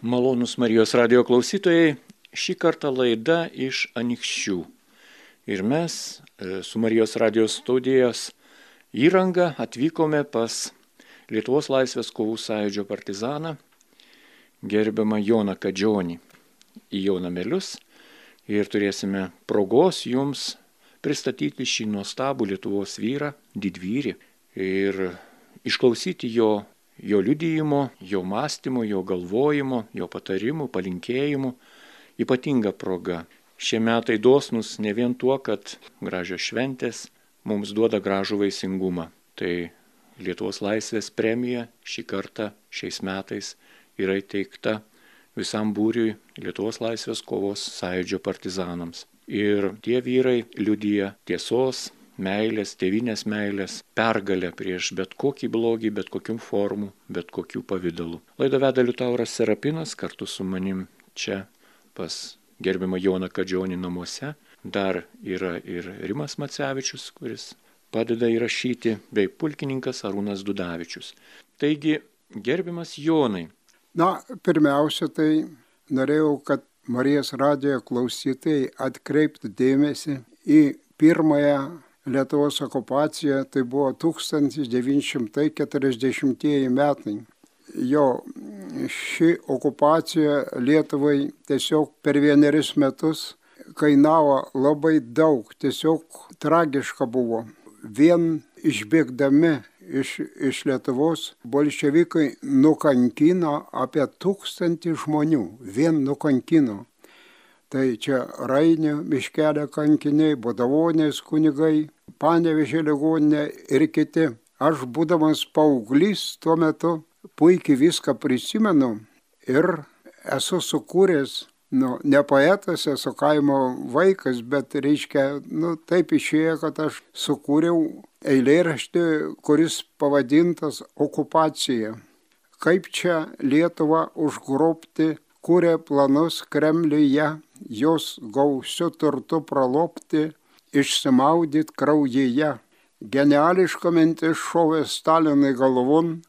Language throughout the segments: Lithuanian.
Malonūs Marijos radio klausytojai, šį kartą laida iš Anykščių. Ir mes su Marijos radio studijos įranga atvykome pas Lietuvos laisvės kovų sąjūdžio partizaną, gerbiamą Joną Kadžionį, į jo namelius ir turėsime progos jums pristatyti šį nuostabų Lietuvos vyrą, didvyrį ir išklausyti jo liudijimo, jo mąstymo, jo galvojimo, jo patarimų, palinkėjimų. Ypatinga proga. Šie metai dosnūs ne vien tuo, kad gražios šventės mums duoda gražų vaisingumą. Tai Lietuvos laisvės premija šį kartą, šiais metais yra įteikta visam būriui Lietuvos laisvės kovos sąjūdžio partizanams. Ir tie vyrai liudija tiesos, meilės, tėvynės meilės, pergalę prieš bet kokį blogį, bet kokių formų, bet kokių pavydalų. Laidą veda Liutauras Serapinas kartu su manim čia pas gerbiamą Joną Kadžionį namuose. Dar yra ir Rimas Macevičius, kuris padeda įrašyti, bei pulkininkas Arūnas Dudavičius. Taigi, gerbiamas Jonai. Pirmiausia, tai norėjau, kad Marijos radijo klausytojai atkreiptų dėmesį į pirmąją Lietuvos okupacija, tai buvo 1940 metai. Ši okupacija Lietuvai tiesiog per 1 metus kainavo labai daug, tiesiog tragiška buvo. Vien išbėgdami iš Lietuvos bolševikai nukankino apie 1000 žmonių, vien nukankino. Tai čia Rainio miškelio kankiniai, Bodavonės kunigai, Panevėžio ligoninė ir kiti. Aš būdamas paauglys tuo metu puikiai viską prisimenu ir esu sukūręs, ne poetas, esu kaimo vaikas, bet taip išėjo, kad aš sukūriau eilėraštį, kuris pavadintas Okupacija. Kaip čia Lietuvą užgrobti, kūrė planus Kremliuje, jos gausiu turtu pralopti, išsimaudyt kraujyje. Geniališka mintis šovė Stalinui galvon,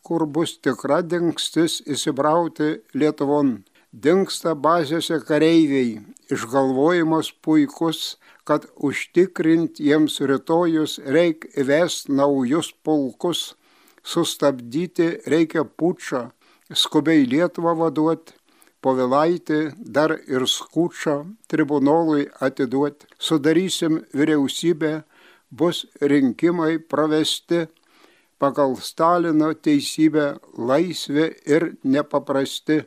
kur bus tikra dingstis įsibrauti Lietuvon. Dingsta bazėse kareiviai, išgalvojimas puikus, kad užtikrint jiems rytojus reik įvest naujus pulkus, sustabdyti reikia pučą, skubiai Lietuvą vaduot, Povilaitį dar ir Skučą tribunolui atiduot. Sudarysim vyriausybę, bus rinkimai pravesti, pagal Stalino teisybę laisvė ir nepaprasti.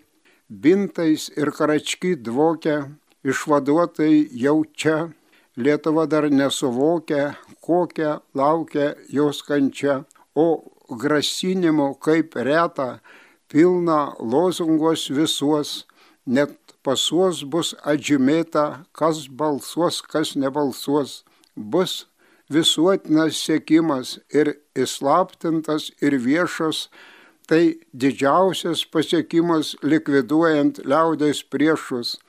Bintais ir karačky dvokia, išvaduotai jau čia, Lietuva dar nesuvokia, kokia laukia jos kančia, o grasinimo kaip reta, pilna lozungos visuos, net pasuos bus atžymėta, kas balsuos, kas nebalsuos. Bus visuotinas siekimas ir įslaptintas ir viešas, tai didžiausias pasiekimas likviduojant liaudies priešus.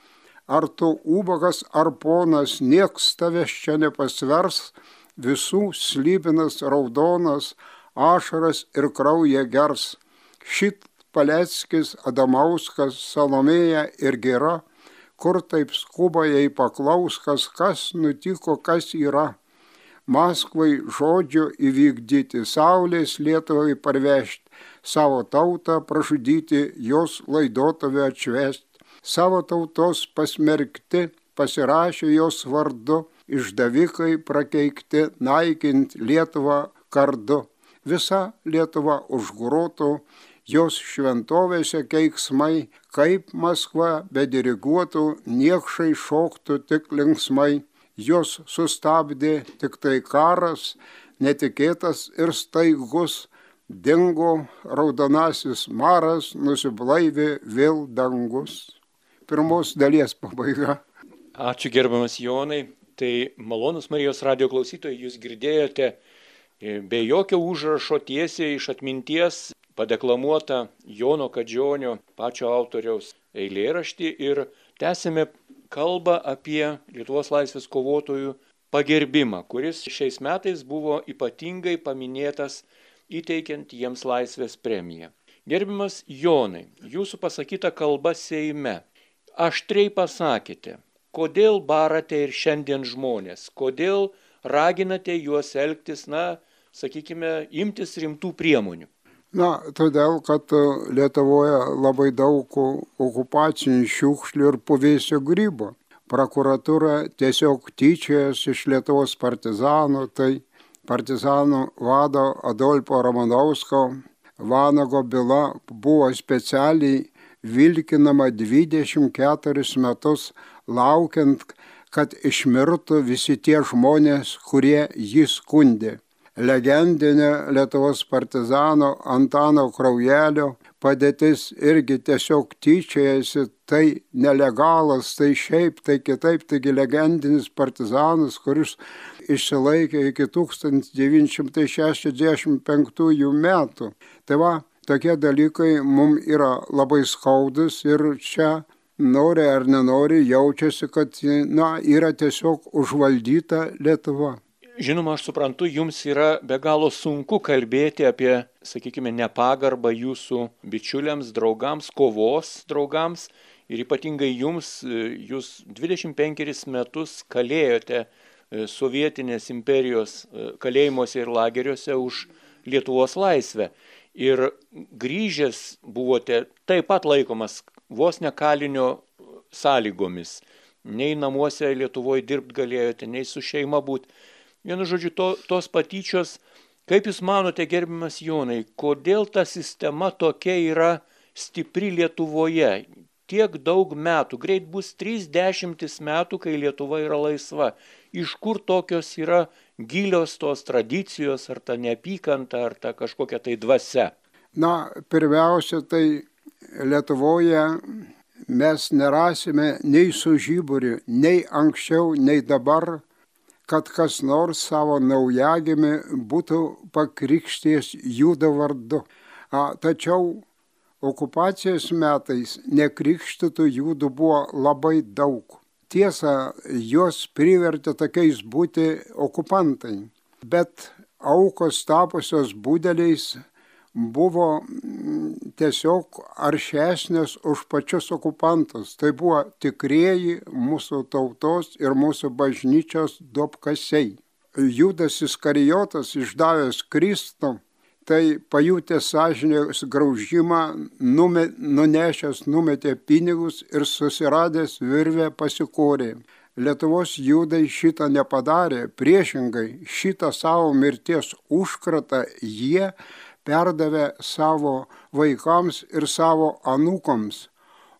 Ar tu ubagas ar ponas, nieks tavęs čia nepasvers, visų slybinas raudonas, ašaras ir kraują gers. Šit Paleckis, Adamauskas, Salomėja ir Gira, kur taip skuba jai paklauskas, kas nutiko, kas yra. Maskvai žodžio įvykdyti, saulės Lietuvai parvežti, savo tautą pražudyti, jos laidotuvę atšvesti. Savo tautos pasmerkti, pasirašė jos vardu, išdavikai prakeikti, naikint Lietuvą kardu. Visa Lietuva užgrotų, jos šventovėse keiksmai, kaip Maskva bediriguotų, niekšai šoktų tik linksmai. Jos sustabdė tik tai karas, netikėtas ir staigus, dingo raudonasis maras, nusiblaivė vėl dangus. Pirmos dalies pabaiga. Ačiū gerbiamas Jonai. Tai malonūs Marijos radio klausytojai, jūs girdėjote be jokio užrašo tiesiai iš atminties padeklamuotą Jono Kadžionio pačio autoriaus eilėraštį ir tęsime kalbą apie Lietuvos laisvės kovotojų pagerbimą, kuris šiais metais buvo ypatingai paminėtas įteikiant jiems laisvės premiją. Gerbiamas Jonai, jūsų pasakyta kalba Seime. Aštriai pasakėte, kodėl barate ir šiandien žmonės, kodėl raginate juos elgtis, sakykime, imtis rimtų priemonių. Todėl, kad Lietuvoje labai daug okupacinių šiukšlių ir puvėsio grybo. Prokuratūra tiesiog tyčiojasi iš Lietuvos partizanų, tai partizanų vado Adolfo Ramanausko vanago byla buvo specialiai vilkinama 24 metus, laukiant, kad išmirtų visi tie žmonės, kurie jį skundė. Legendinė Lietuvos partizano Antano Kraujelio padėtis irgi tiesiog tyčiojasi, tai nelegalas, tai šiaip, tai kitaip, taigi legendinis partizanas, kuris išsilaikė iki 1965 metų. Tai tokie dalykai mums yra labai skaudus ir čia nori ar nenori jaučiasi, kad yra tiesiog užvaldyta Lietuva. Žinoma, aš suprantu, jums yra be galo sunku kalbėti apie, sakykime, nepagarbą jūsų bičiuliams, draugams, kovos draugams ir ypatingai jums, jūs 25 metus kalėjote sovietinės imperijos kalėjimuose ir lageriuose už Lietuvos laisvę. Ir grįžęs buvote taip pat laikomas vos ne kalinio sąlygomis. Nei namuose Lietuvoje dirbti galėjote, nei su šeima būti. Vienu žodžiu, tos patyčios, kaip jūs manote, gerbiamas Jonai, kodėl ta sistema tokia yra stipri Lietuvoje? Tiek daug metų, greit bus 30 metų, kai Lietuva yra laisva. Iš kur tokios yra gilios tos tradicijos, ar ta neapykanta, ar ta kažkokia tai dvasia? Pirmiausia, tai Lietuvoje mes nerasime nei su žiburiu, nei anksčiau, nei dabar, kad kas nors savo naujagimį būtų pakrikštijęs Judo vardu. Tačiau okupacijos metais nekrikštytų Judų buvo labai daug. Tiesa, juos privertė tokiais būti okupantai, bet aukos tapusios budeliais buvo tiesiog aršesnės už pačius okupantus. Tai buvo tikrieji mūsų tautos ir mūsų bažnyčios duobkasiai. Judas Iskarijotas, išdavęs Kristų, tai pajutęs sąžinės graužimą, nunešęs numetė pinigus ir susiradęs virvę pasikorė. Lietuvos judai šitą nepadarė, priešingai šitą savo mirties užkratą jie perdavė savo vaikams ir savo anūkoms,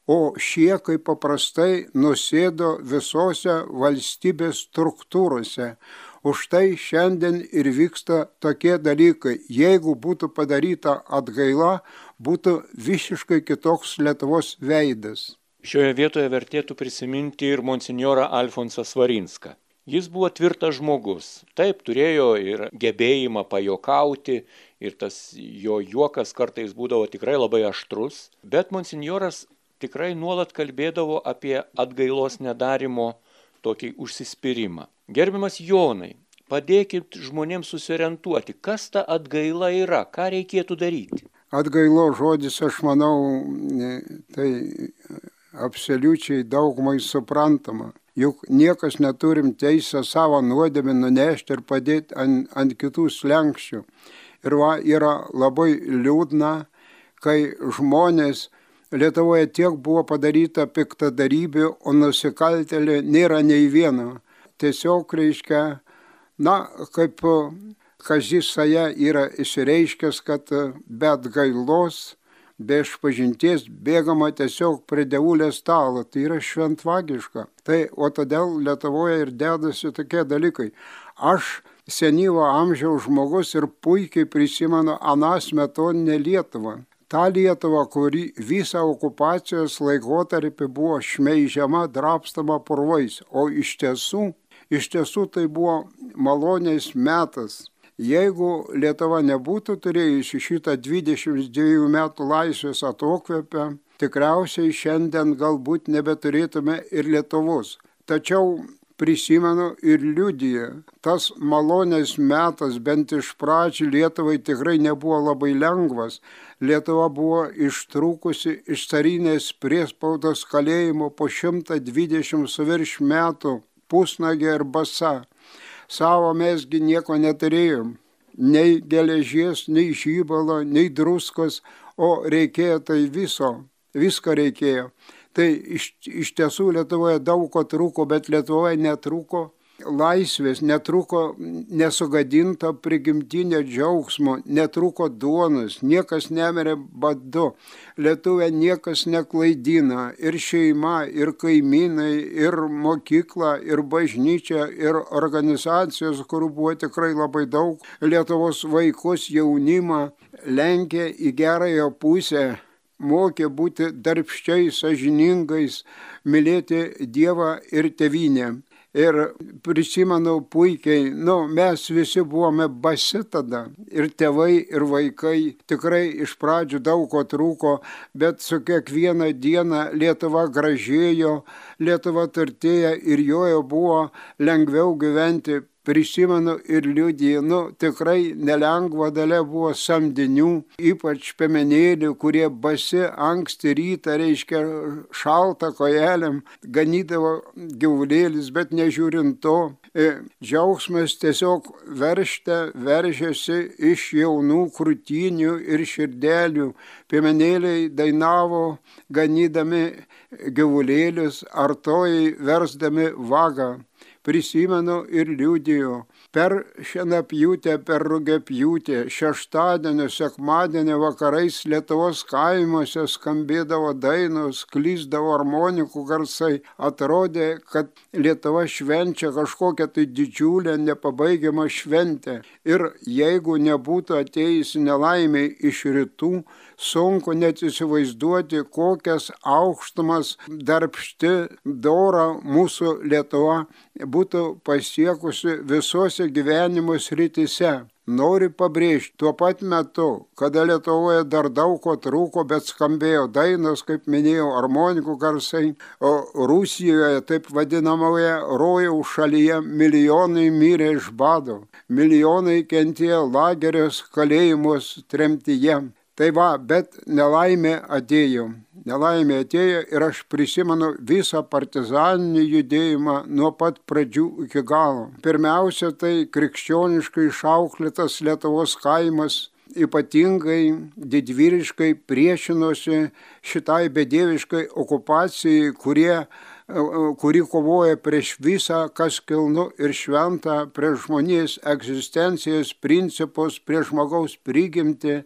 o šie, kaip paprastai, nusėdo visose valstybės struktūrose. Už tai šiandien ir vyksta tokie dalykai. Jeigu būtų padaryta atgaila, būtų visiškai kitoks Lietuvos veidas. Šioje vietoje vertėtų prisiminti ir monsinjorą Alfonsą Svarinską. Jis buvo tvirtas žmogus. Taip, turėjo ir gebėjimą pajokauti, ir tas jo juokas kartais būdavo tikrai labai aštrus, bet monsinjoras tikrai nuolat kalbėdavo apie atgailos nedarimo tokį užsispyrimą. Gerbiamas Jonai, padėkit žmonėms susiorientuoti, kas ta atgaila yra, ką reikėtų daryti. Atgailo žodis, aš manau, tai absoliučiai daugumai suprantama. Juk niekas neturim teisę savo nuodėmę nunešti ir padėti ant kitų slenkščių. Ir yra labai liūdna, kai žmonės Lietuvoje tiek buvo padaryta piktadarybių, o nusikaltėlių nėra nei vieno. Tiesiog reiškia, kaip Kazys Saja yra išreiškęs, kad be atgailos, be išpažinties bėgama tiesiog prie dievulės stalo. Tai yra šventvagiška. O todėl Lietuvoje ir dedasi tokie dalykai. Aš senyvo amžiaus žmogus ir puikiai prisimenu aną smetoninę Lietuvą. Ta Lietuva, kuri visą okupacijos laikotarpį buvo šmeižiama, drabstama purvais, o iš tiesų tai buvo malonės metas. Jeigu Lietuva nebūtų turėjusi šitą 22 metų laisvės atokvėpę, tikriausiai šiandien galbūt nebeturėtume ir Lietuvos. Tačiau prisimenu ir liudiju. Tas malonės metas, bent iš pradžių, Lietuvai tikrai nebuvo labai lengvas. Lietuva buvo ištrūkusi iš carinės priespaudos kalėjimo po 120 su virš metų, pusnagė ir basa. Savo mesgi nieko neturėjom. Nei geležies, nei žybalo, nei druskos, o reikėjo tai visko reikėjo. Tai iš tiesų Lietuvoje daug ko trūko, bet Lietuvoje netrūko laisvės, netrūko nesugadinto prigimtinio džiaugsmo, netrūko duonos, niekas nemirė badu, Lietuvė niekas neklaidina, ir šeima, ir kaimynai, ir mokykla, ir bažnyčia, ir organizacijos, kurių buvo tikrai labai daug, Lietuvos vaikus, jaunimą lenkė į gerąją pusę, mokė būti darbščiais, sąžiningais, mylėti Dievą ir tėvynę. Ir prisimenu puikiai, mes visi buvome basi tada, ir tėvai, ir vaikai, tikrai iš pradžių daug ko trūko, bet su kiekviena diena Lietuva gražėjo, Lietuva turtėjo ir joje buvo lengviau gyventi. Prisimenu ir liudiju, tikrai nelengva dalia buvo samdinių, ypač piemenėlių, kurie basi anksti rytą, reiškia šaltą kojelėm, ganydavo gyvulėlis, bet nežiūrint to, džiaugsmas tiesiog veržėsi iš jaunų krūtinių ir širdelių. Piemenėliai dainavo, ganydami gyvulėlius, artojai versdami vagą. Prisimenu ir liudiju. Per šienapjūtę, per rugiapjūtę, šeštadienio, sekmadienio vakarais Lietuvos kaimuose skambėdavo dainos, klysdavo armonikų garsai. Atrodė, kad Lietuva švenčia kažkokią tai didžiulę, nepabaigiamą šventę. Ir jeigu nebūtų atėjusi nelaimė iš rytų, sunku net įsivaizduoti, kokias aukštumas darbšti, dora mūsų Lietuva būtų pasiekusi visose gyvenimo srityse. Noriu pabrėžti, tuo pat metu, kada Lietuvoje dar daug ko trūko, bet skambėjo dainos, kaip minėjau, armonikų garsai, o Rusijoje, taip vadinamoje rojaus šalyje, milijonai mirė iš bado, milijonai kentėjo lagerius, kalėjimus, tremtyje. Tai bet nelaimė atėjo ir aš prisimenu visą partizaninį judėjimą nuo pat pradžių iki galo. Pirmiausia, tai krikščioniškai išauklėtas Lietuvos kaimas ypatingai didvyriškai priešinosi šitai bedieviškai okupacijai, kuri kovoja prieš visą, kas kilnu ir šventa, prieš žmonijos egzistencijos principus, prieš žmogaus prigimtį,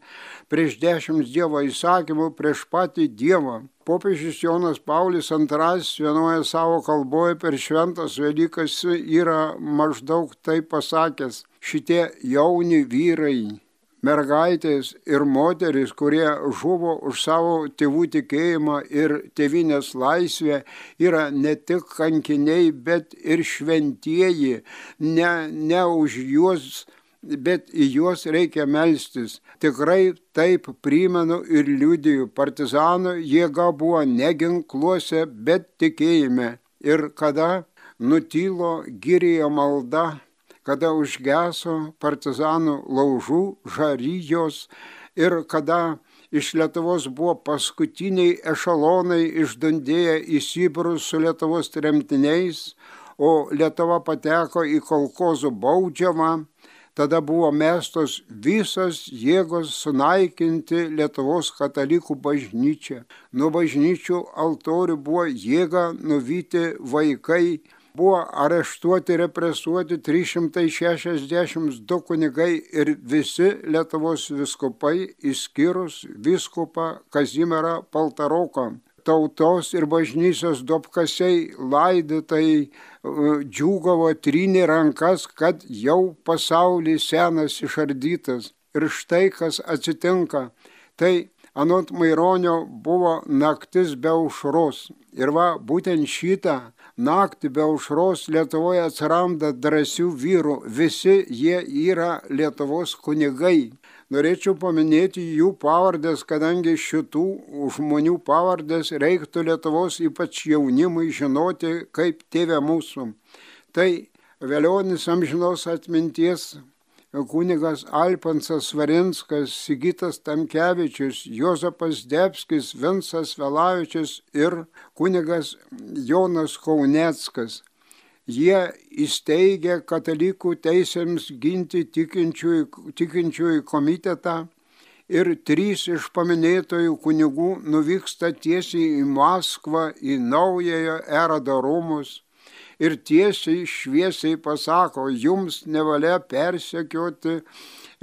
prieš 10 Dievo įsakymų, prieš patį Dievą. Popiežius Jonas Paulius II vienoje savo kalboje per šventas Velykas yra maždaug taip pasakęs: šitie jauni vyrai, mergaitės ir moterys, kurie žuvo už savo tėvų tikėjimą ir tėvynės laisvę, yra ne tik kankiniai, bet ir šventieji. Ne už juos, bet į juos reikia melstis. Tikrai taip primenu ir liudiju. Partizanų jėga buvo ne ginkluose, bet tikėjime. Ir kada nutilo girėjo malda, kada užgeso partizanų laužų žarijos ir kada iš Lietuvos buvo paskutiniai ešalonai išdundėję į Sibirus su Lietuvos tremtiniais, o Lietuva pateko į kolchozų baudžiamą, tada buvo mestos visas jėgos sunaikinti Lietuvos katalikų bažnyčią. Nuo bažnyčių altorių buvo jėga nuvyti vaikai, buvo areštuoti, represuoti 362 kunigai ir visi Lietuvos vyskupai, išskyrus vyskupą Kazimierą Paltaroką. Tautos ir bažnyčios duobkasiai laidotojai džiūgavo, trynė rankas, kad jau pasaulis senas išardytas. Ir štai kas atsitinka. Tai anot Maironio buvo naktis be aušros. Ir būtent šitą naktį be aušros Lietuvoje atsiranda drąsių vyrų. Visi jie yra Lietuvos kunigai. Norėčiau paminėti jų pavardės, kadangi šitų žmonių pavardės reiktų Lietuvos ypač jaunimui žinoti kaip Tėve mūsų. Tai velionis amžinos atminties kunigas Alfonsas Svarinskas, Sigitas Tamkevičius, Juozapas Debskis, Vincas Velavičius ir kunigas Jonas Kauneckas. Jie įsteigė katalikų teisėms ginti tikinčiųjų komitetą ir 3 iš paminėtojų kunigų nuvyksta tiesiai į Maskvą, į naujojo erodo rūmus ir tiesiai šviesiai pasako, jums nevalia persekioti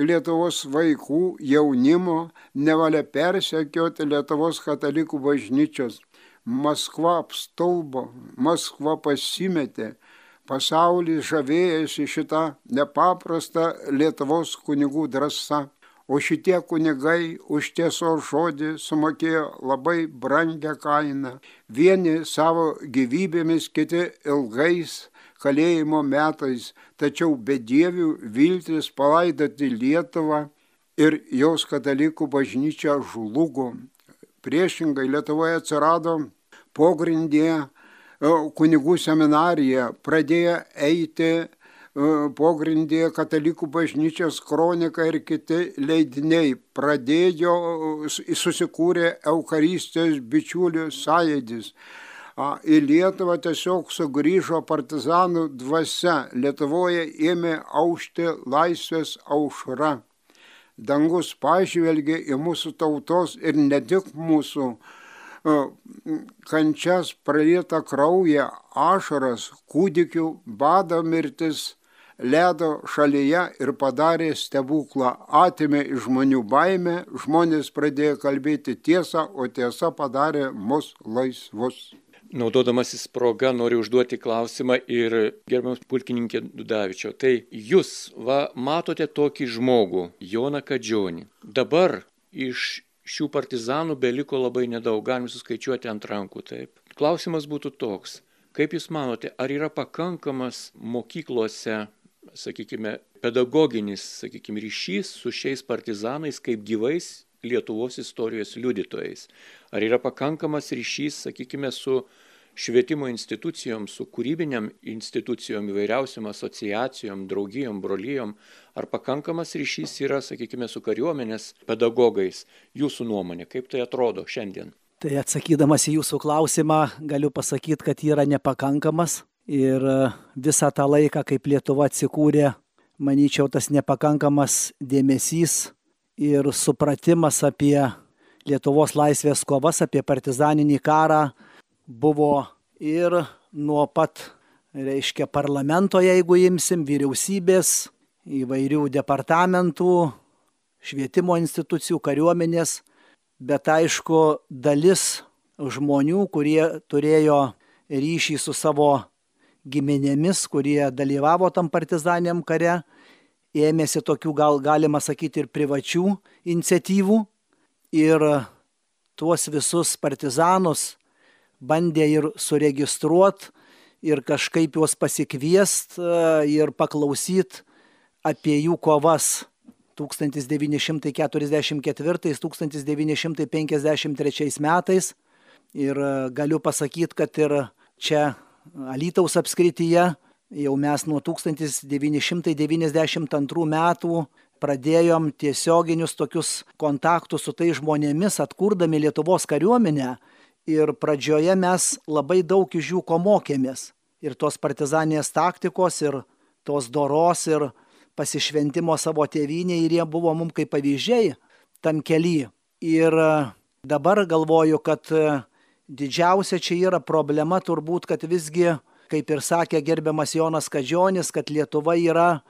Lietuvos vaikų, jaunimo, nevalia persekioti Lietuvos katalikų bažnyčios. Maskva apstulbo, Maskva pasimetė, pasaulis žavėjasi šitą nepaprastą Lietuvos kunigų drąsą. O šitie kunigai už tiesos žodį sumokėjo labai brangią kainą. Vieni savo gyvybėmis, kiti ilgais kalėjimo metais, tačiau bedievių viltis palaidoti Lietuvą ir jos katalikų bažnyčia žlugo. Priešingai Lietuvoje atsirado pogrindyje kunigų seminarija, pradėjo eiti pogrindyje katalikų bažnyčios kronika ir kiti leidiniai, susikūrė Eucharistijos bičiulių sąjūdis. Į Lietuvą tiesiog sugrįžo partizanų dvasia, Lietuvoje ėmė aušti laisvės aušra. Dangus pažvelgė į mūsų tautos ir ne tik mūsų kančias, pralietą kraują, ašaras, kūdikių, bado mirtis, ledo šalyje ir padarė stebuklą, atėmė iš žmonių baimę, žmonės pradėjo kalbėti tiesą, o tiesa padarė mus laisvus. Naudodamasis proga noriu užduoti klausimą ir gerbiamas pulkininkė Dudavičiau. Tai jūs matote tokį žmogų, Joną Kadžionį. Dabar iš šių partizanų beliko labai nedaug, galim suskaičiuoti ant rankų. Taip. Klausimas būtų toks, kaip jūs manote, ar yra pakankamas mokyklose, sakykime, pedagoginis, ryšys su šiais partizanais kaip gyvais Lietuvos istorijos liudytojais? Ar yra pakankamas ryšys, su švietimo institucijom, su kūrybiniam institucijom, įvairiausiam asociacijom, draugijom, brolijom? Ar pakankamas ryšys yra, su kariuomenės pedagogais? Jūsų nuomonė, kaip tai atrodo šiandien? Tai atsakydamas į jūsų klausimą, galiu pasakyti, kad yra nepakankamas. Ir visą tą laiką, kaip Lietuva atsikūrė, manyčiau, tas nepakankamas dėmesys ir supratimas apie Lietuvos laisvės kovas, apie partizaninį karą buvo ir nuo pat, parlamento, jeigu imsim, vyriausybės, įvairių departamentų, švietimo institucijų, kariuomenės, bet aišku, dalis žmonių, kurie turėjo ryšį su savo giminėmis, kurie dalyvavo tam partizaniniam kare, ėmėsi tokių, galima sakyti, ir privačių iniciatyvų ir tuos visus partizanus bandė ir suregistruoti ir kažkaip juos pasikviest ir paklausyt apie jų kovas 1944-1953 metais. Ir galiu pasakyti, kad ir čia Alytaus apskrityje jau mes nuo 1992 metų pradėjom tiesioginius tokius kontaktus su tais žmonėmis, atkurdami Lietuvos kariuomenę. Ir pradžioje mes labai daug iš jų ko mokėmės. Ir tos partizaninės taktikos, ir tos doros, ir pasišventimo savo tėvynėje, ir jie buvo mums kaip pavyzdžiai tam kely. Ir dabar galvoju, kad didžiausia čia yra problema turbūt, kad visgi, kaip ir sakė gerbiamas Jonas Kadžionis, kad Lietuva yra,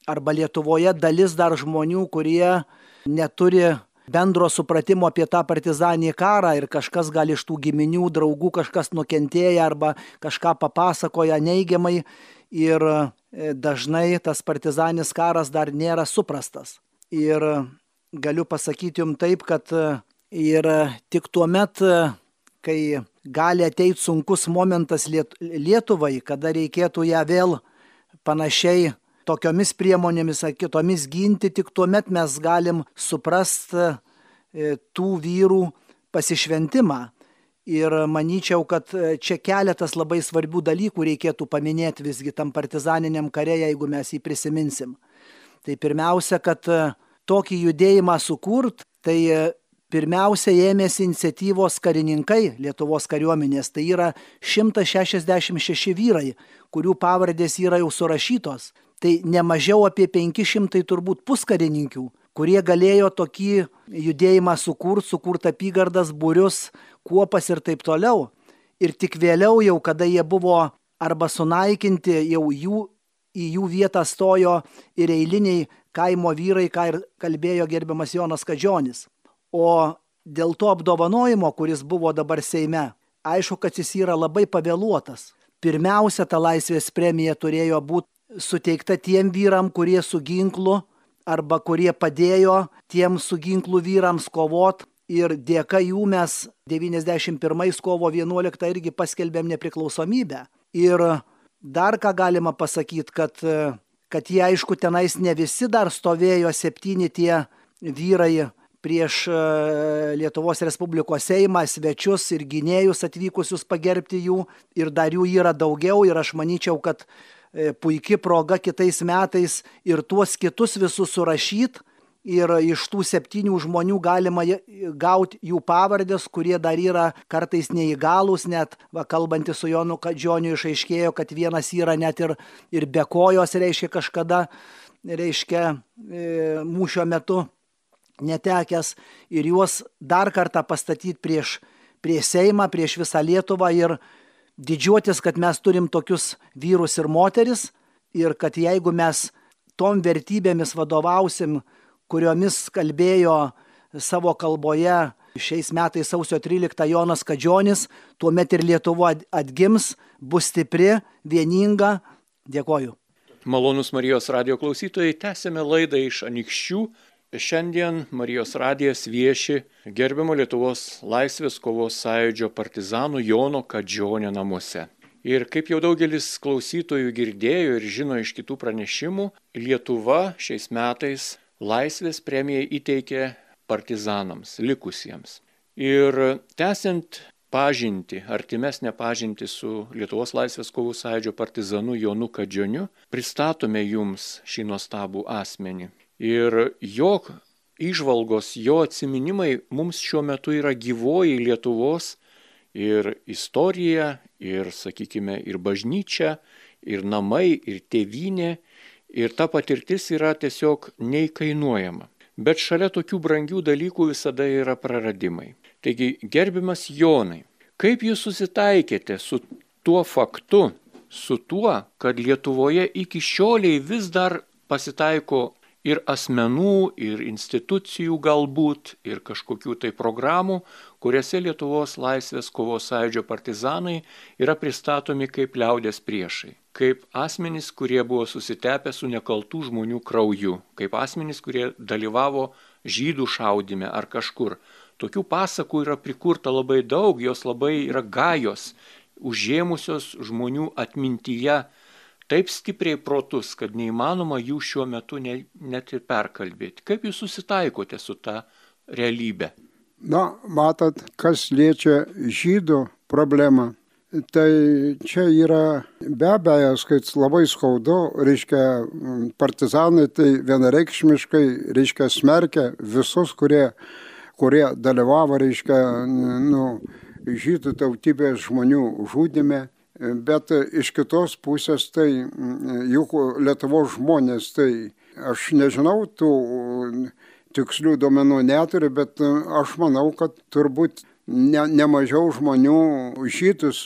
arba Lietuvoje dalis dar žmonių, kurie neturi bendro supratimo apie tą partizaninį karą ir kažkas gali iš tų giminių, draugų, kažkas nukentėję arba kažką papasakoja neigiamai ir dažnai tas partizaninis karas dar nėra suprastas. Ir galiu pasakyti jums taip, kad ir tik tuo met, kai gali ateiti sunkus momentas Lietuvai, kada reikėtų ją vėl panašiai tokiomis priemonėmis ar kitomis ginti, tik tuomet mes galim suprasti tų vyrų pasišventimą. Ir manyčiau, kad čia keletas labai svarbių dalykų reikėtų paminėti visgi tam partizaniniam kare, jeigu mes jį prisiminsim. Tai pirmiausia, kad tokį judėjimą sukurt, tai pirmiausia ėmėsi iniciatyvos karininkai Lietuvos kariuomenės. Tai yra 166 vyrai, kurių pavardės yra jau surašytos. Tai nemažiau apie 500 turbūt puskarininkių, kurie galėjo tokį judėjimą sukurt apygardas, būrius, kuopas ir taip toliau. Ir tik vėliau jau, kada jie buvo arba sunaikinti, jau į jų vietą stojo ir eiliniai kaimo vyrai, ką ir kalbėjo gerbiamas Jonas Kadžionis. O dėl to apdovanojimo, kuris buvo dabar Seime, aišku, kad jis yra labai pavėluotas. Pirmiausia, ta laisvės premija turėjo būti suteikta tiem vyram, kurie su ginklu arba kurie padėjo tiem su ginklu vyrams kovot. Ir dėka jų mes 91 kovo 11 irgi paskelbėm nepriklausomybę. Ir dar ką galima pasakyti, kad jie aišku tenais ne visi dar stovėjo 7 tie vyrai prieš Lietuvos Respublikos Seimą, svečius ir gynėjus atvykusius pagerbti jų. Ir dar jų yra daugiau ir aš manyčiau, kad puikia proga kitais metais ir tuos kitus visus surašyti. Ir iš tų 7 žmonių galima gauti jų pavardės, kurie dar yra kartais neįgalūs, net kalbantys su Jonu Kadžioniu išaiškėjo, kad vienas yra net ir be kojos, reiškia kažkada, mūšio metu netekęs. Ir juos dar kartą pastatyti prieš Seimą, prieš visą Lietuvą ir didžiuotis, kad mes turim tokius vyrus ir moteris ir kad jeigu mes tom vertybėmis vadovausim, kuriomis kalbėjo savo kalboje šiais metais sausio 13 Jonas Kadžionis, tuomet ir Lietuva atgims, bus stipri, vieninga. Dėkoju. Malonus Marijos radijo klausytojai, tęsėme laidą iš Anykščių. Šiandien Marijos radijas vieši gerbiamo Lietuvos laisvės kovos sąjūdžio partizanų Jono Kadžionio namuose. Ir kaip jau daugelis klausytojų girdėjo ir žino iš kitų pranešimų, Lietuva šiais metais laisvės premiją įteikė partizanams, likusiems. Ir tęsiant pažintį, artimesnę pažintį su Lietuvos laisvės kovų sąjūdžio partizanu Jonu Kadžioniu, pristatome jums šį nuostabų asmenį. Ir jo įžvalgos, jo atsiminimai mums šiuo metu yra gyvoji Lietuvos ir istorija, ir, sakykime, ir bažnyčia, ir namai, ir tėvynė. Ir ta patirtis yra tiesiog neįkainuojama. Bet šalia tokių brangių dalykų visada yra praradimai. Taigi, gerbiamas Jonai, kaip jūs susitaikėte su tuo faktu, su tuo, kad Lietuvoje iki šioliai vis dar pasitaiko ir asmenų, ir institucijų galbūt, ir kažkokių tai programų, kuriuose Lietuvos laisvės kovos sąjūdžio partizanai yra pristatomi kaip liaudės priešai, kaip asmenys, kurie buvo susitepę su nekaltų žmonių krauju, kaip asmenys, kurie dalyvavo žydų šaudyme ar kažkur. Tokių pasakų yra prikurta labai daug, jos labai yra gajos, užėmusios žmonių atmintyje taip stipriai protus, kad neįmanoma jų šiuo metu net ir perkalbėti. Kaip jūs susitaikote su ta realybė? Na, matot, kas liečia žydų problemą, tai čia yra be abejo, kad labai skaudu, reiškia, partizanai tai vienareikšmiškai, reiškia, smerkia visus, kurie dalyvavo, reiškia, žydų tautybės žmonių žudyme. Bet iš kitos pusės, tai juk Lietuvos žmonės, tai aš nežinau, tų tikslių duomenų neturiu, bet aš manau, kad turbūt nemažiau žmonių žydus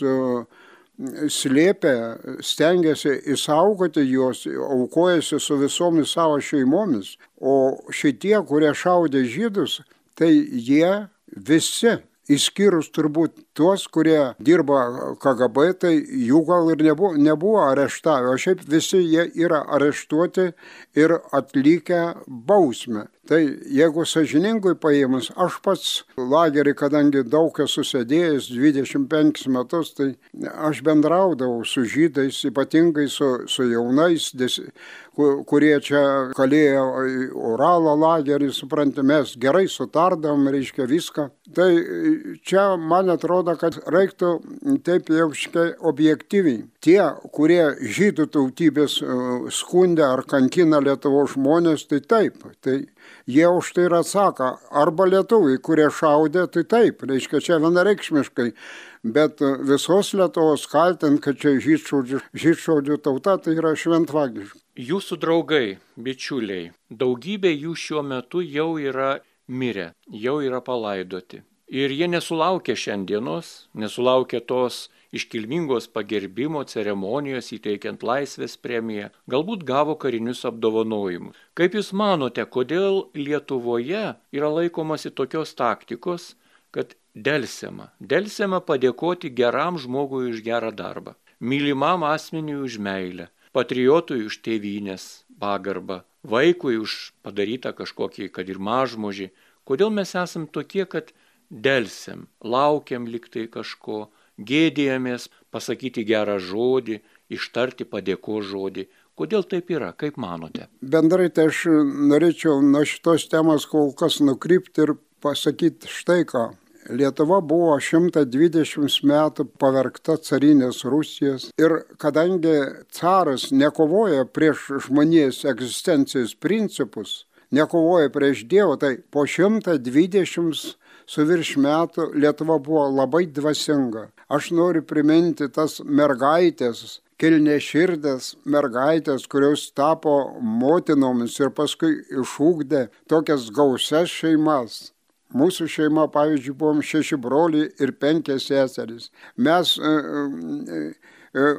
slėpė, stengiasi išsaugoti juos, aukojasi su visomis savo šeimomis. O šitie, kurie šaudė žydus, tai jie visi, išskyrus turbūt tuos, kurie dirba KGB, tai jų gal ir nebuvo areštavę, o šiaip visi jie yra areštuoti ir atlikę bausmę. Tai jeigu sąžiningai paėmus, aš pats lagerį, kadangi daug esu sėdėjęs 25 metus, tai aš bendraudavau su žydais, ypatingai su jaunais, kurie čia kalėjo Uralo lagerį, suprantate, mes gerai sutardavom, reiškia viską. Tai čia man atrodo, kad reiktų taip jau objektyviai. Tie, kurie žydų tautybės skundė ar kankina Lietuvos žmonės, tai taip. Tai jie už tai ir atsako. Arba lietuviai, kurie šaudė, tai taip. Reiškia, čia vienareikšmiškai. Bet visos Lietuvos kaltint, kad čia žydšaudžių tauta, tai yra šventvagiška. Jūsų draugai, bičiuliai, daugybė jų šiuo metu jau yra mirę, jau yra palaidoti. Ir jie nesulaukė šiandienos, nesulaukė tos iškilmingos pagerbimo ceremonijos įteikiant Laisvės premiją, galbūt gavo karinius apdovanojimus. Kaip Jūs manote, kodėl Lietuvoje yra laikomasi tokios taktikos, kad delsiama padėkoti geram žmogui už gerą darbą, mylimam asmeniui už meilę, patriotui už tėvynės pagarbą, vaikui už padarytą kažkokį, kad ir mažmožį? Kodėl mes esam tokie, kad delsiam, laukiam liktai kažko, gėdėjamės pasakyti gerą žodį, ištarti padėkos žodį? Kodėl taip yra, kaip manote? Bendrai tai aš norėčiau nuo šitos temos kol kas nukrypti ir pasakyti štai ką. Lietuva buvo 120 metų pavergta carinės Rusijos ir kadangi caras nekovoja prieš žmonijos egzistencijos principus, nekovoja prieš Dievą, tai po 120 su virš metų Lietuva buvo labai dvasinga. Aš noriu priminti tas mergaitės, kilniaširdės mergaitės, kurios tapo motinomis ir paskui išugdė tokias gausias šeimas. Mūsų šeima, pavyzdžiui, buvom 6 broliai ir 5 seserys. Mes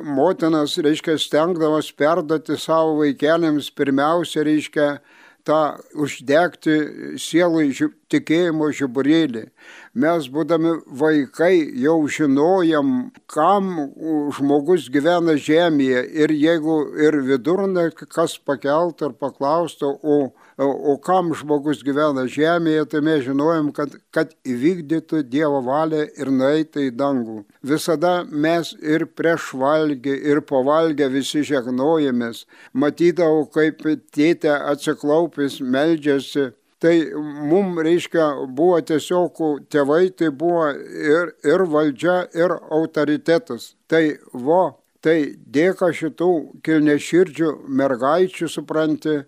motinas, reiškia, stengdavos perduoti savo vaikeliams pirmiausia, reiškia, tą uždegti sielai tikėjimo žiburėlį. Mes, būdami vaikai, jau žinojam, kam žmogus gyvena žemėje. Ir jeigu ir vidurnaktį kas pakeltų ir paklaustų, o kam žmogus gyvena žemėje, tai mes žinojam, kad įvykdytų Dievo valią ir nueitų į dangų. Visada mes ir prieš valgį, ir po valgę visi žegnojamės. Matydavau, kaip tėtė atsiklaupęs meldžiasi. Tai mums, reiškia, buvo tiesiog tėvai, tai buvo ir valdžia, ir autoritetas. Tai dėka šitų kilniaširdžių mergaičių, supranti,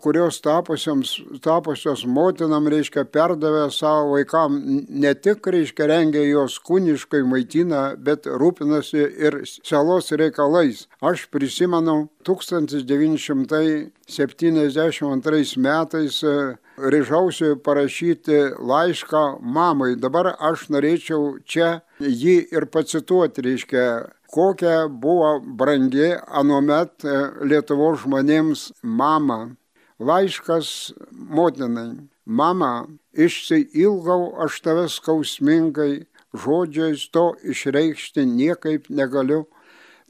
kurios tapusios motinam, reiškia, perdavė savo vaikam, ne tik, reiškia, rengia juos kūniškai maitina, bet rūpinasi ir sielos reikalais. Aš prisimenu 1972 metais ryžausi parašyti laišką mamai. Dabar aš norėčiau čia jį ir pacituoti, reiškia, kokia buvo brangi anuomet Lietuvos žmonėms mama. Laiškas motinai. Mama, išsiilgau aš tave skausmingai, žodžiais to išreikšti niekaip negaliu.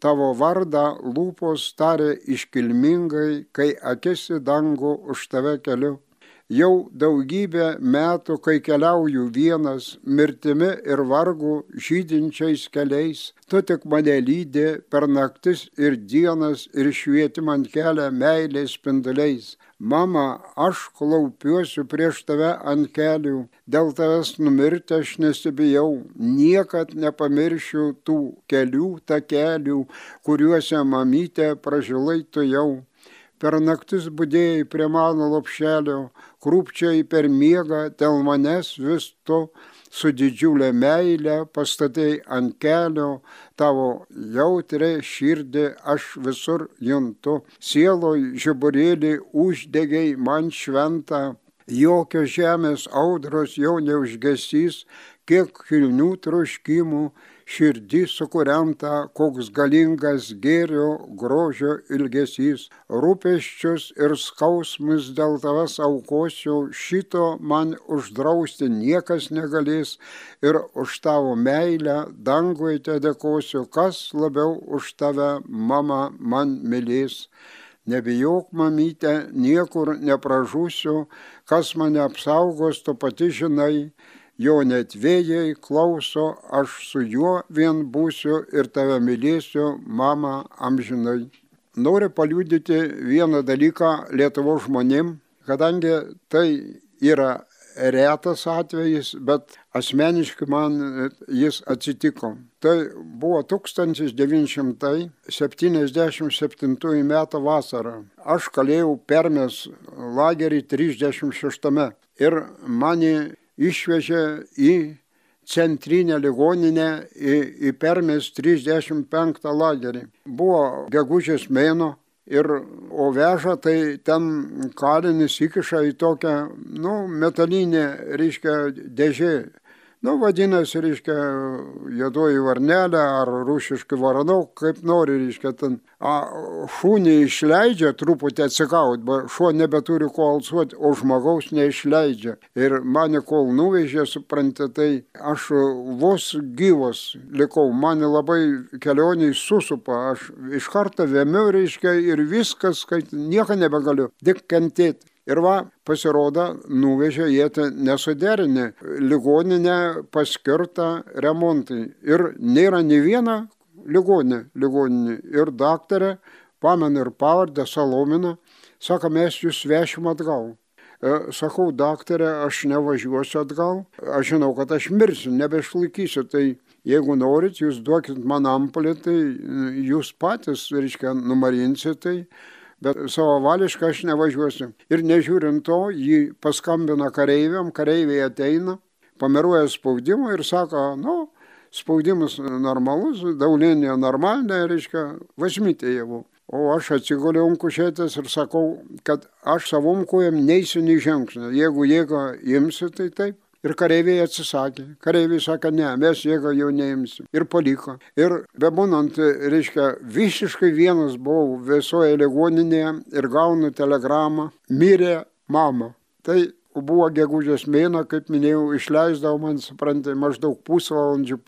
Tavo vardą lūpos tarė iškilmingai, kai akis į dangų už tave keliu. Jau daugybę metų, kai keliauju vienas, mirtimi ir vargu žydinčiais keliais, tu tik mane lydi per naktis ir dienas ir švieti man kelią meilės spinduliais. Mama, aš klaupiuosi prieš tave ant kelių, dėl tavęs numirti aš nesibijau, niekad nepamiršiu tų kelių takelių, kuriuose mamytė pražilai tu jau. Per naktis budėjai prie mano lopšelio, krūpčiai per miegą, dėl manęs vis tu su didžiulė meilė pastatei ant kelio, tavo jautrią širdį aš visur juntu. Sieloj žiburėlį uždegiai man šventą, jokios žemės audros jau neužgesys, kiek kilnių troškimų, širdį sukuriamta, koks galingas gėrio grožio ilgesys. Rūpesčius ir skausmus dėl tavęs aukosiu, šito man uždrausti niekas negalės ir už tavo meilę dangui te dėkosiu, kas labiau už tave, mama, man mylės. Nebijok, mamyte, niekur nepražūsiu, kas mane apsaugos, tu pati žinai, jo net vėjai klauso, aš su juo vien būsiu ir tave mylėsiu, mama, amžinai. Noriu paliudyti vieną dalyką Lietuvos žmonėm, kadangi tai yra retas atvejis, bet asmeniškai man jis atsitiko. Tai buvo 1977 metų vasara. Aš kalėjau Permės lagerį 36 ir mane išvežė į centrinę ligoninę į Permės 35 lagerį. Buvo gegužės mėnuo. O veža, tai ten kalinis įkiša į tokią, metalinę, dėžė. Vadinasi, juodoji varnelė ar rusiškai varanau, kaip nori, ten. Šunį išleidžia truputį atsikaut, bet šuo nebeturi ko alsuoti, o žmogaus neišleidžia. Ir mane kol nuvežė, suprantate, tai aš vos gyvas likau, mane labai kelioniai susupa, aš iš karto vėmiu, ir viskas, kad nieko nebegaliu, tik kentėti. Ir pasirodo, nuvežė jie nesuderinę ligoninę paskirtą remontui. Ir nėra nei viena ligoninė. Ir daktarė, pamenu ir pavardę, Salomina, sako, mes jūs vešim atgal. Sakau, daktarė, aš nevažiuosiu atgal, aš žinau, kad aš mirsiu, nebeišlaikysiu, tai jeigu norit, jūs duokit man ampulę, tai jūs patys, numarinsit tai. Bet savavališkai aš nevažiuosiu. Ir nežiūrint to, jį paskambina kareiviam, kareiviai ateina, pameruoja spaudimą ir sako, spaudimas normalus, daulinė normalinė, važmytė javų. O aš atsigoliau ant kušetės ir sakau, kad aš savom kojam neisiu nei žingsnio. Jeigu jėgą imsiu, tai taip. Ir kareiviai atsisakė. Kareiviai sakė, ne, mes jėgą jau neimsim. Ir paliko. Ir bebūnant, visiškai vienas buvau visoje ligoninėje ir gaunu telegramą, mirė mama. Tai buvo gegužės mėnuo, kaip minėjau, išleisdavo man, suprantate, maždaug pusvalandžių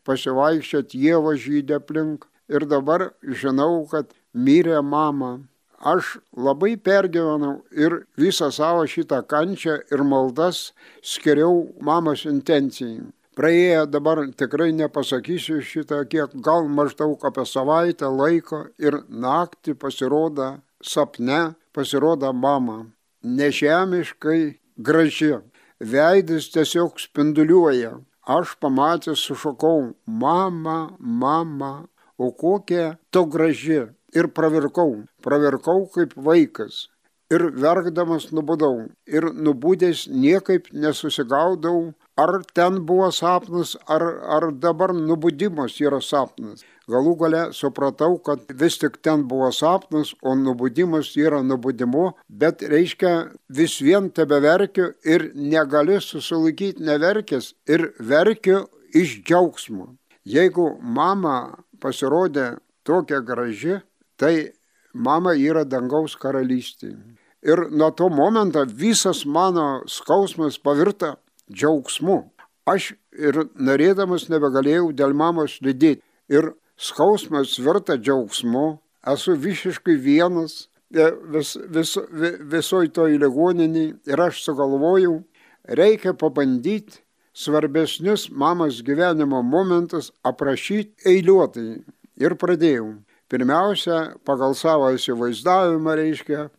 pasivaikščioti, ieva žydė aplink. Ir dabar žinau, kad mirė mama. Aš labai pergyvenau ir visą savo šitą kančią ir maldas skiriau mamos intencijai. Praėjo dabar tikrai nepasakysiu šitą, kiek gal maždaug apie savaitę laiko ir naktį pasirodo sapne, pasirodo mama. Nežemiškai graži. Veidas tiesiog spinduliuoja. Aš pamatęs sušokau, mama, o kokia tu graži. Ir pravirkau kaip vaikas. Ir verkdamas nubudau. Ir nubudęs niekaip nesusigaudau, ar ten buvo sapnas, ar dabar nubudimas yra sapnas. Galų gale supratau, kad vis tik ten buvo sapnas, o nubudimas yra nubudimu, bet vis vien tebeverkiu ir negaliu susilaikyti neverkęs ir verkiu iš džiaugsmo. Jeigu mama pasirodė tokia graži, tai mama yra dangaus karalystė. Ir nuo to momento visas mano skausmas pavirta džiaugsmu. Aš ir norėdamas nebegalėjau dėl mamos liūdėti. Ir skausmas virta džiaugsmu. Esu visiškai vienas visoj toj ligoninėj. Ir aš sugalvojau, reikia pabandyti svarbesnius mamos gyvenimo momentus aprašyti eiliuotai. Ir pradėjau. Pirmiausia, pagal savo įsivaizdavimą,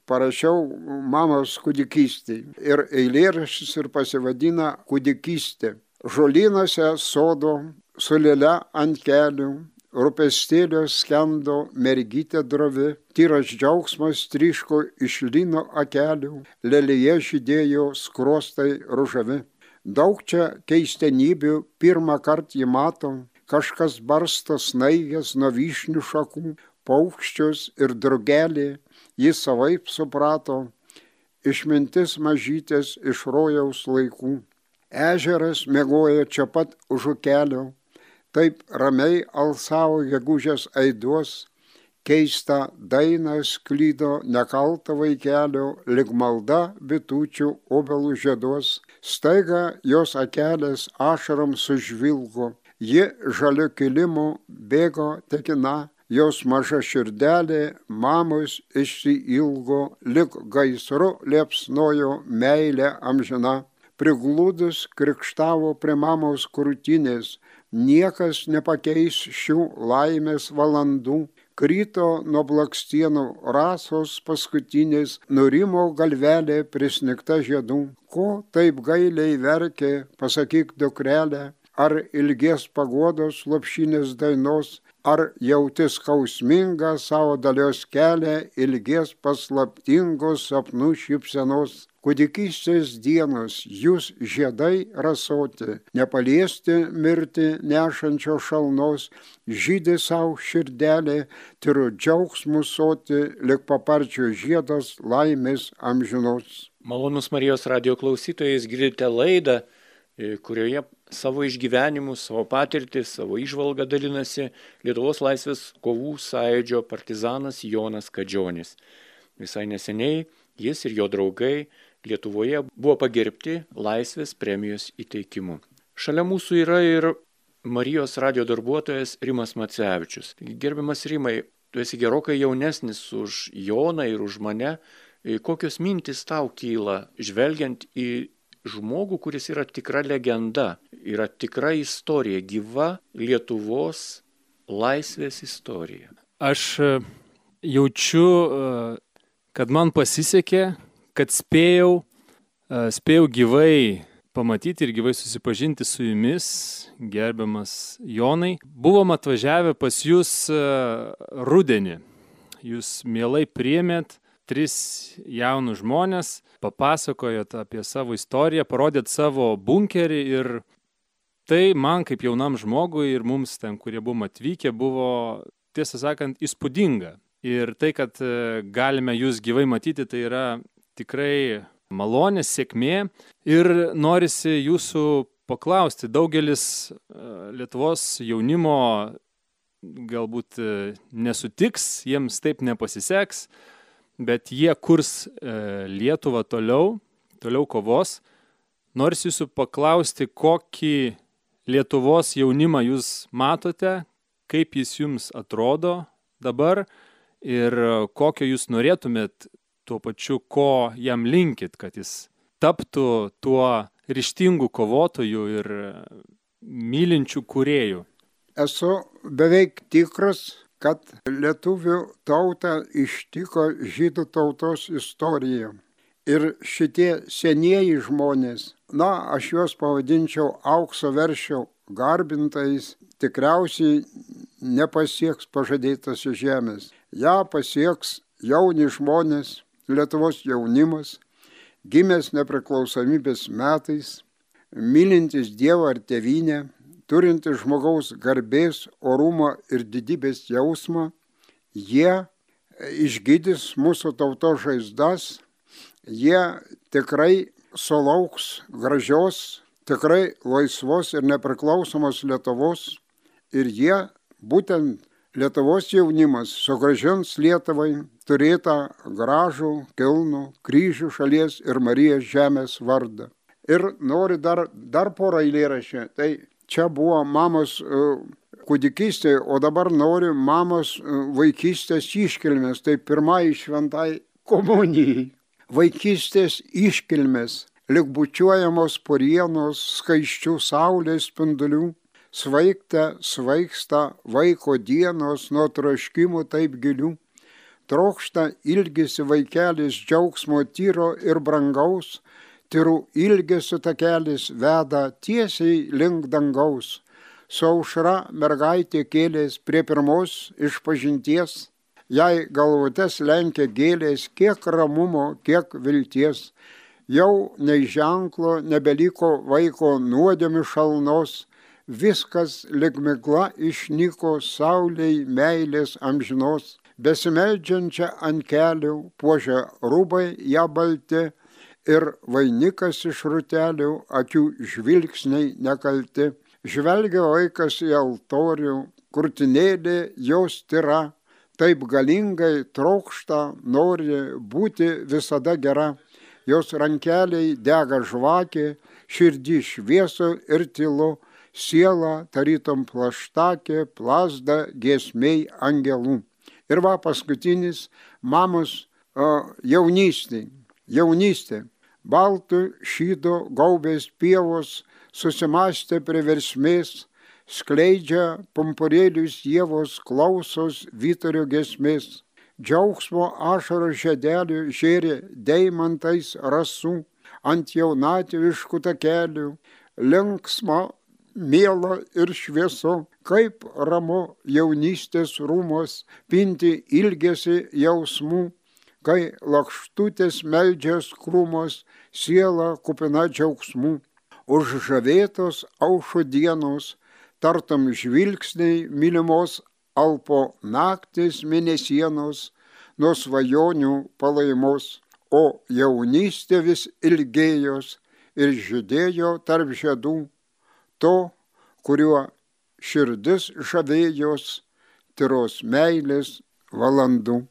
parašiau mamos kūdikystei. Ir eilėraštis ir pasivadina Kūdikystė. Žolynuose sodo, su lėle ant kelių, rūpestėlio skendo mergytė drovi, tyras džiaugsmas tryško iš lino akelių, lėlėje žydėjo skruostai ružavi. Daug čia keistenybių pirmą kartą jį mato, kažkas barsto snaigės nuo vyšnių šakų, paukščius ir drugelį, jis savaip suprato, išmintis mažytės iš rojaus laikų. Ežeras miegojo čia pat už ukelio, taip ramiai alsavo gegužės aiduos, keistą dainą sklydo nekaltą vaikelio, lyg malda bitučių obelų žieduos, staiga jos akelės ašarom sužvilgo. Ji žaliu kilimu bėgo tekina, jos maža širdelė mamos išsiilgo, lik gaisru liepsnojo meilė amžina. Prigludus krikštavo prie mamos krūtinės, niekas nepakeis šių laimės valandų. Krito nuo blakstienų rasos paskutinės, nurimo galvelė prisnigta žiedų. Ko taip gailiai verkė, pasakyk dukrelė, ar ilgies paguodos lopšinės dainos, ar jauti skausmingą savo dalios kelią, ilgies paslaptingos sapnų šypsenos. Kūdikystės dienos, jūs žiedai rasoti, nepaliesti mirti nešančio šalnos, žydi savo širdelė, tyru džiaugsmų soti, lik paparčio žiedas laimės amžinos. Malonus Marijos radijo klausytojais, girdite laidą, kurioje savo išgyvenimus, savo patirtį, savo įžvalgą dalinasi Lietuvos laisvės kovų sąjūdžio partizanas Jonas Kadžionis. Visai neseniai jis ir jo draugai Lietuvoje buvo pagerbti laisvės premijos įteikimu. Šalia mūsų yra ir Marijos radijo darbuotojas Rimas Macevičius. Gerbiamas Rimai, tu esi gerokai jaunesnis už Joną ir už mane. Kokios mintys tau kyla, žvelgiant į žmogų, kuris yra tikra legenda, yra tikra istorija, gyva Lietuvos laisvės istorija? Aš jaučiu, kad man pasisekė, kad spėjau gyvai pamatyti ir gyvai susipažinti su jumis, gerbiamas Jonai. Buvom atvažiavę pas jūs rudenį. Jūs mielai priėmėt 3 jaunus žmonės, papasakojot apie savo istoriją, parodėt savo bunkerį ir tai man kaip jaunam žmogui ir mums ten, kurie buvom atvykę, buvo, tiesą sakant, įspūdinga. Ir tai, kad galime jūs gyvai matyti, tai yra tikrai malonė, sėkmė ir norisi jūsų paklausti. Daugelis Lietuvos jaunimo galbūt nesutiks, jiems taip nepasiseks, bet jie kurs Lietuvą toliau kovos. Norisi jūsų paklausti, kokį Lietuvos jaunimą jūs matote, kaip jis jums atrodo dabar ir kokio jūs norėtumėt tuo pačiu, ko jam linkit, kad jis taptų tuo ryžtingų kovotojų ir mylinčių kūrėjų. Esu beveik tikras, kad lietuvių tautą ištiko žydų tautos istorija. Ir šitie senieji žmonės, aš juos pavadinčiau aukso veršio garbintais, tikriausiai nepasieks pažadėtos žemės. Ja pasieks jauni žmonės, Lietuvos jaunimas, gimęs nepriklausomybės metais, mylintis Dievą ar tėvynę, turintis žmogaus garbės, orumo ir didybės jausmą, jie išgydys mūsų tautos žaizdas, jie tikrai sulauks gražios, tikrai laisvos ir nepriklausomos Lietuvos ir jie, būtent Lietuvos jaunimas, sugrąžins Lietuvai turėtą gražų, kilnų kryžių šalies ir Marijos žemės vardą. Ir noriu dar porą eilėraščių. Tai čia buvo mamos kūdikystė, o dabar noriu mamos vaikystės iškilmės. Tai pirmai šventai komunijai. Vaikystės iškilmės, lyg bučiuojamos porienos skaisčių saulės spindulių, svaigsta vaiko dienos nuo troškimų taip gilių. Trokšta ilgisi vaikelis džiaugsmo tyro ir brangaus, tyrų ilgesio takelis veda tiesiai link dangaus. Su aušra mergaitė kėlės prie pirmos išpažinties, jai galvutes lenkia gėlės, kiek ramumo, kiek vilties. Jau nei ženklo nebeliko vaiko nuodėmių šalnos, viskas lyg migla išnyko saulei meilės amžinos. Besimeldžiančią ant kelių puošia rūbai ją balti ir vainikas iš rūtelių akių žvilgsniai nekalti. Žvelgia vaikas į altorių, krūtinėlė jos tyra, taip galingai trokšta, nori būti visada gera. Jos rankeliai dega žvakė, širdį šviesu ir tylu, siela tarytum plaštakė plazda giesmei angelų. Ir va paskutinis mamos jaunystė. Baltų šydo gaubės pievos susimastė prie versmės, skleidžia pumpurėlius ievos klausos vyturio giesmės. Džiaugsmo ašaro žiedelių žėrė deimantais rasų ant jaunatviškų takelių, linksma, miela ir šviesu, kaip ramu jaunystės rūmos pinti ilgesi jausmų, kai lakštutės meldžias krūmos siela kupina džiaugsmų. Užžavėtos aušo dienos, tartum žvilgsniai mylimos alpo naktis mėnesienos, nuo svajonių palaimos, o jaunystė vis ilgėjos ir žydėjo tarp žiedų, to, kuriuo širdis žavėjos, tyros meilės valandų.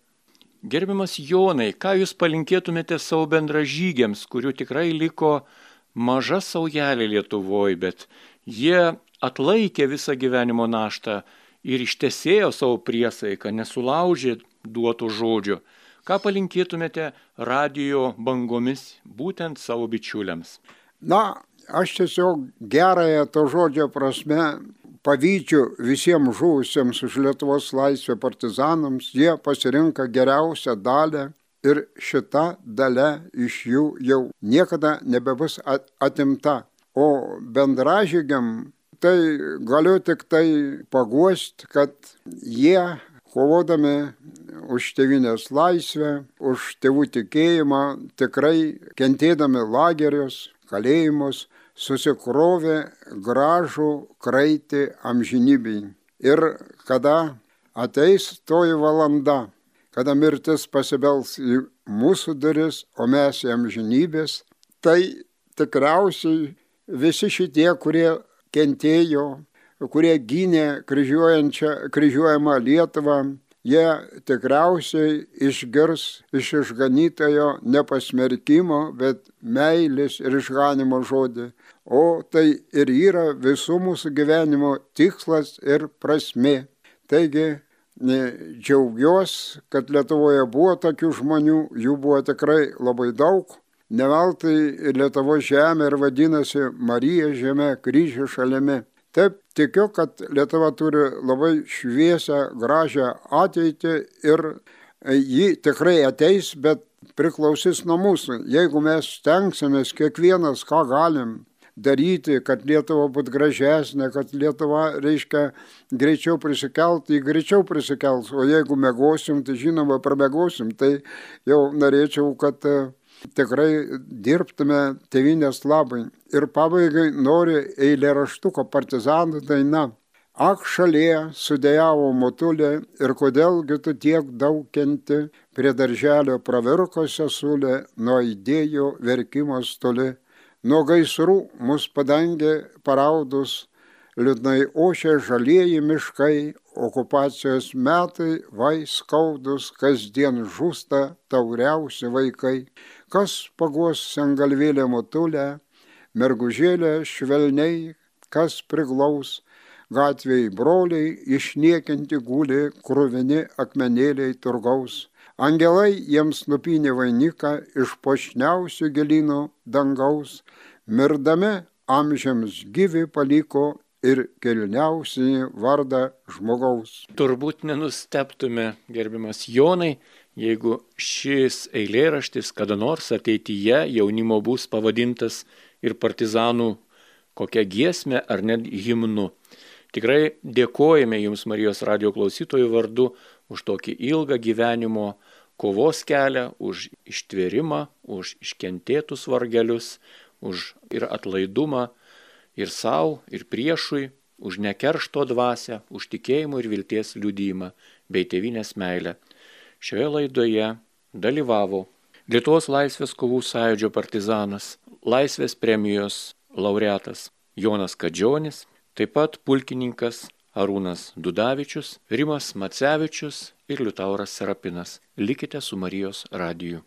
Gerbiamas Jonai, ką jūs palinkėtumėte savo bendražygiams, kurių tikrai liko maža saujelė Lietuvoje, bet jie atlaikė visą gyvenimo naštą ir ištesėjo savo priesaiką, nesulaužė duoto žodžio. Ką palinkėtumėte radijo bangomis būtent savo bičiuliams? Na, aš tiesiog gerąją to žodžio prasme pavydžiu visiems žuvusiems už Lietuvos laisvę partizanams. Jie pasirinka geriausią dalę ir šita dalia iš jų jau niekada nebebus atimta. O bendražygiam tai galiu tik tai paguosti, kad jie kovodami už tėvynės laisvę, už tėvų tikėjimą, tikrai kentėdami lagerius, kalėjimus, susikrovė gražų kraitį amžinybei. Ir kada ateis toji valanda, kada mirtis pasibels į mūsų duris, o mes į amžinybės, tai tikriausiai visi šitie, kurie kentėjo, kurie gynė kryžiuojamą Lietuvą, jie tikriausiai išgirs iš išganytojo ne pasmerkimo, bet meilės ir išganimo žodį. O tai ir yra visų mūsų gyvenimo tikslas ir prasmė. Taigi džiaugiuosi, kad Lietuvoje buvo tokių žmonių, jų buvo tikrai labai daug. Ne veltui Lietuvos žemė ir vadinasi Marija žemė, kryžių šalimi. Taip tikiu, kad Lietuva turi labai šviesią, gražią ateitį ir ji tikrai ateis, bet priklausys nuo mūsų. Jeigu mes stengsimės kiekvienas, ką galim daryti, kad Lietuva būtų gražesnė, kad Lietuva, greičiau prisikelt, ji greičiau prisikels. O jeigu mėgosim, tai žinoma, pramėgosim. Tai jau norėčiau, kad tikrai dirbtume tėvynės labai. Ir pabaigai noriu eilėraštuko partizanų daina. Ak, šalie sudėjavo motulė ir kodėlgi tu tiek daug kenti, prie darželio pravirko sesulė, nuo idėjų verkimas toli. Nuo gaisrų mus padangė paraudus, liūdnai ošia žalieji miškai, okupacijos metai vai skaudus, kasdien žūsta tauriausi vaikai. Kas paguos sengalvėlę motulę, mergužėlę švelniai, kas priglaus, gatvėj broliai išniekinti guli, kruvini akmenėliai turgaus. Angelai jiems nupynė vainiką iš puošniausių gėlynų dangaus, mirdami amžiams gyvi paliko ir kilniausią vardą žmogaus. Turbūt nenustebtume, gerbiamas Jonai, jeigu šis eilėraštis kada nors ateityje jaunimo bus pavadintas ir partizanų kokią giesmę ar net himnu. Tikrai dėkojame Jums, Marijos radijo klausytojų vardu, už tokį ilgą gyvenimo kovos kelią, už ištvėrimą, už iškentėtus vargelius, už ir atlaidumą ir savo, ir priešui, už nekeršto dvasią, už tikėjimo ir vilties liudijimą bei tėvynės meilę. Šioje laidoje dalyvavo Lietuvos laisvės kovų sąjūdžio partizanas, laisvės premijos laureatas Jonas Kadžionis, taip pat pulkininkas Arūnas Dudavičius, Rimas Macevičius ir Liutauras Serapinas. Likite su Marijos radiju.